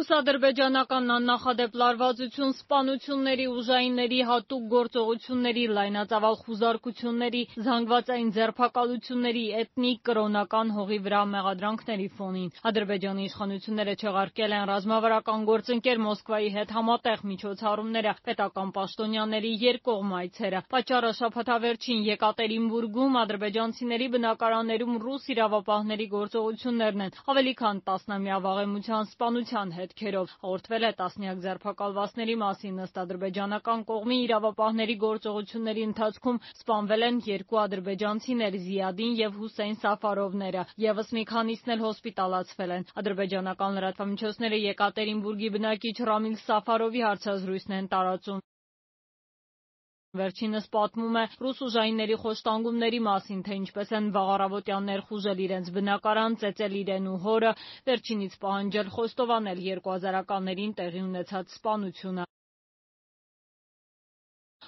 Ռուս-ադրբեջանական աննախադեպ լարվածություն, սպանությունների, ուժայինների հատուկ գործողությունների, լայնածավալ խուզարկությունների, զանգվածային ձերբակալությունների, էթնիկ, կրոնական հողի վրա մեղադրանքների ֆոնին Ադրբեջանի իշխանությունները չեղարկել են ռազմավարական գործընկեր Մոսկվայի հետ համատեղ միջոցառումները, պետական պաշտոնյաների երկկողմ այցերը։ Պատճառը շաբաթավերջին Եկատերինբուրգում ադրբեջանցիների բնակարաններում ռուս իրավապահների գործողություններն են, ավելի քան տասնամյա վաղեմության սպանության հետքերով։ Հաղորդվել է տասնյակ ձերբակալվածների մասին։ Ըստ ադրբեջանական կողմի իրավապահների գործողությունների ընթացքում սպանվել են 2 ադրբեջանցիներ՝ Զիադին եւ Հուսեյն Սաֆարովները, եւս մի քանիսն էլ հոսպիտալացվել են։ Ադրբեջանական լրատվամիջոցները Եկատերինբուրգի բնակիչ Ռամիլ Սաֆարովի հարցազրույցն են տարածում։ Վերջինս պատմում է ռուս ուժայինների խոշտանգումների մասին, թե ինչպես են վաղ առավոտյան ներխուժել իրենց բնակարան, ծեծել իրեն ու հորը, վերջինից պահանջել խոստովանել 2000-ականներին տեղի ունեցած սպանությունը։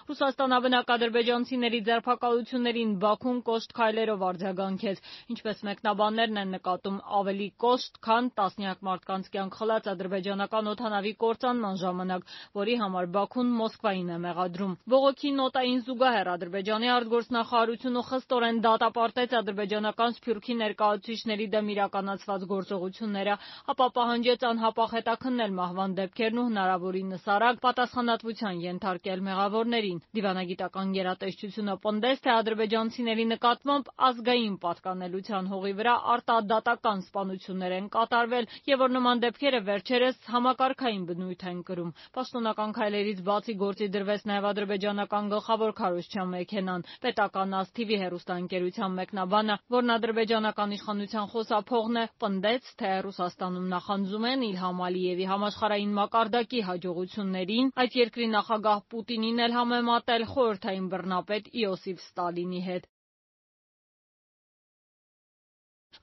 Ռուսաստանաբնակ ադրբեջանցիների ձերբակալություններին Բաքուն կոշտ քայլերով արձագանքեց։ Ինչպես մեկնաբաններն են նկատում, ավելի կոշտ, քան տասնյակ մարդկանց կյանք խլած ադրբեջանական օդանավի կործանման ժամանակ, որի համար Բաքուն Մոսկվային է մեղադրում։ Բողոքի նոտային զուգահեռ Ադրբեջանի արտգործնախարարությունը խստորեն դատապարտեց ադրբեջանական Սփյուռքի ներկայացուցիչների դեմ իրականացված գործողությունները, ապա պահանջեց անհապաղ հետաքննել մահվան դեպքերն ու հնարավորինս արագ պատասխանատվության ենթարկել մեղավորներին։ Դիվանագիտական գերատեսչությունը պնդեց, թե ադրբեջանցիների նկատմամբ ազգային պատկանելության հողի վրա արտադատական սպանություններ են կատարվել եւ որ նման դեպքերը վերջերս համակարգային բնույթ են կրում։ Պաշտոնական քայլերից բացի գործի դրվեց նաեւ ադրբեջանական գլխավոր քարոզչության մեքենան։ Պետական ASTV հեռուստաընկերության մեկնաբանը, որն ադրբեջանական իշխանության խոսափողն է, պնդեց, թե Ռուսաստանում նախանձում են Իլհամ Ալիևի համաշխարհային մակարդակի հաջողություններին, այդ երկրի նախագահ Պուտինին էլ համեմատել խորհրդային բռնապետ Իոսիֆ Ստալինի հետ։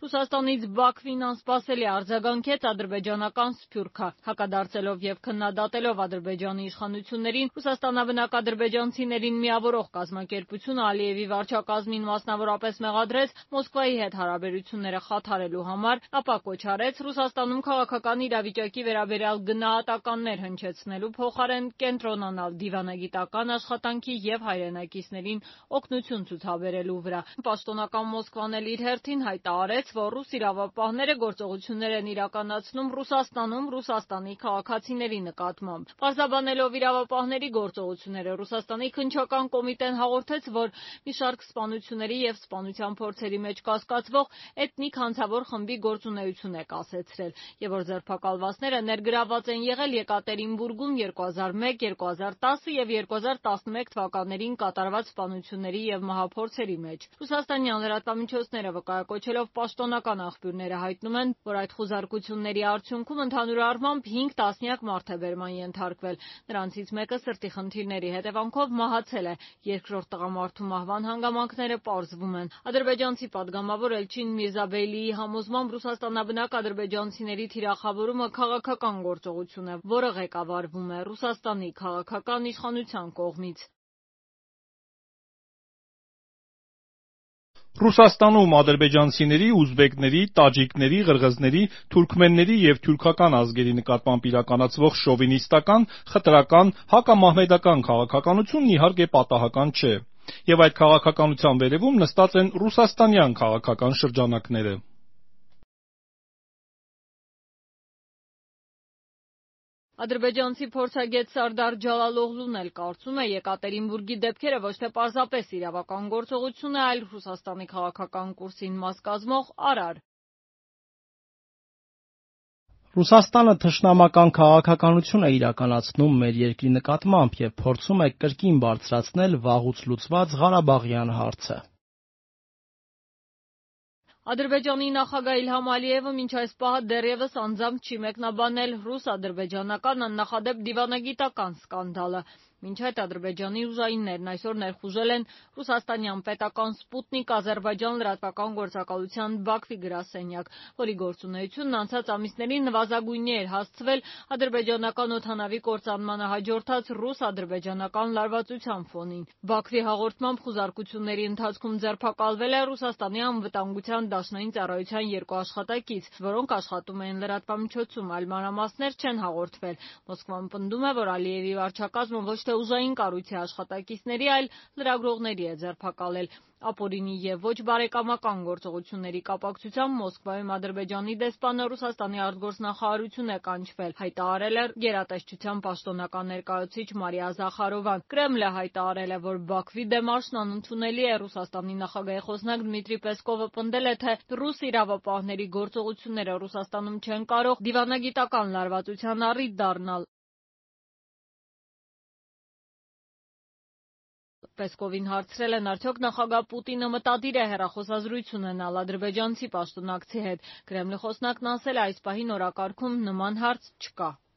Ռուսաստանից Բաքվին անսպասելի արձագանքեց ադրբեջանական Սփյուռքը, հակադարձելով եւ քննադատելով Ադրբեջանի իշխանություններին, Ռուսաստանաբնակ ադրբեջանցիներին միավորող կազմակերպությունը Ալիևի վարչակազմին մասնավորապես մեղադրեց Մոսկվայի հետ հարաբերությունները խաթարելու համար, ապա կոչ արեց Ռուսաստանում քաղաքական իրավիճակի վերաբերյալ գնահատականներ հնչեցնելու փոխարեն կենտրոնանալ դիվանագիտական աշխատանքի եւ հայրենակիցներին օգնություն ցուցաբերելու վրա։ Պաշտոնական Մոսկվան էլ իր հերթին հայտարարեց, որ ռուս իրավապահները գործողություններ են իրականացնում Ռուսաստանում Ռուսաստանի քաղաքացիների նկատմամբ։ Պարզաբանելով իրավապահների գործողությունները, Ռուսաստանի քննչական կոմիտեն հաղորդեց, որ մի շարք սպանությունների եւ սպանության փորձերի մեջ կասկածվող էթնիկ հանցավոր խմբի գործունեություն է կասեցրել եւ որ ձերբակալվածները ներգրավված են եղել Եկատերինբուրգում 2001, 2010 եւ 2011 թվականներին կատարված սպանությունների եւ մահափորձերի մեջ։ Ռուսաստանյան լրատվամիջոցները վկայակոչելով պաշտոնական աղբյուրները հայտնում են, որ այդ խուզարկությունների արդյունքում ընդհանուր առմամբ 5 տասնյակ մարդ է բերման ենթարկվել։ Նրանցից մեկը սրտի խնդիրների հետևանքով մահացել է։ Երկրորդ տղամարդու մահվան հանգամանքները պարզվում են։ Ադրբեջանցի падգամավոր Էլչին Միրզաբեյլիի համոզմամբ ռուսաստանաբնակ ադրբեջանցիների թիրախավորումը քաղաքական գործողություն է, որը ղեկավարվում է Ռուսաստանի քաղաքական իշխանության կողմից։ Ռուսաստանում ադրբեջանցիների, ուզբեկների, տաջիկների, ղրղզների, թուրքմենների եւ թյուրքական ազգերի նկատմամբ իրականացվող շովինիստական, խտրական, հակամահմեդական քաղաքականությունն իհարկե պատահական չէ, եւ այդ քաղաքականության վերեւում նստած են ռուսաստանյան քաղաքական շրջանակները։ Ադրբեջանցի փորձագետ Սարդար Ջալալօղլուն էլ կարծում է, Եկատերինբուրգի դեպքերը ոչ թե պարզապես իրավական գործողություն է, այլ Ռուսաստանի քաղաքական կուրսին մաս կազմող արար։ Ռուսաստանը թշնամական քաղաքականություն է իրականացնում մեր երկրի նկատմամբ եւ փորձում է կրկին բարձրացնել վաղուց լուծված Ղարաբաղյան հարցը։ Ադրբեջանի նախագահ Իլհամ Ալիևը մինչ այս պահը դեռևս անձամբ չի մեկնաբանել ռուս-ադրբեջանական աննախադեպ դիվանագիտական սկանդալը։ Մինչ այդ Ադրբեջանի ուժայիններն այսօր ներխուժել են ռուսաստանյան պետական Սպուտնիկ Ադրբեջան լրատվական գործակալության Բաքվի գրասենյակ, որի գործունեությունն անցած ամիսներին նվազագույնի էր հասցվել ադրբեջանական օդանավի կործանմանը հաջորդած ռուս-ադրբեջանական լարվածության ֆոնին։ Բաքվի հաղորդմամբ խուզարկությունների ընթացքում ձերբակալվել է Ռուսաստանի անվտանգության դաշնային ծառայության 2 աշխատակից, որոնք աշխատում էին լրատվամիջոցում, այլ մանրամասներ չեն հաղորդվել։ Մոսկվան պնդում է, որ Ալիևի վարչակազմը ոչ թե ուժային կառույցի աշխատակիցների, այլ լրագրողների է ձերբակալել։ Ապօրինի եւ ոչ բարեկամական գործողությունների կապակցությամբ Մոսկվայում Ադրբեջանի դեսպանը Ռուսաստանի արտգործնախարարություն է կանչվել, հայտարարել է գերատեսչության պաշտոնական ներկայացուցիչ Մարիա Զախարովան։ Կրեմլը հայտարարել է, որ Բաքվի դեմարշն անընդունելի է։ Ռուսաստանի նախագահի խոսնակ Դմիտրի Պեսկովը պնդել է, թե ռուս իրավապահների գործողությունները Ռուսաստանում չեն կարող դիվանագիտական լարվածության առիթ դառնալ։ Պեսկովին հարցրել են, արդյոք նախագահ Պուտինը մտադիր է հեռախոսազրույց ունենալ ադրբեջանցի պաշտոնակցի հետ։ Կրեմլի խոսնակն ասել է, այս պահին օրակարգում նման հարց չկա։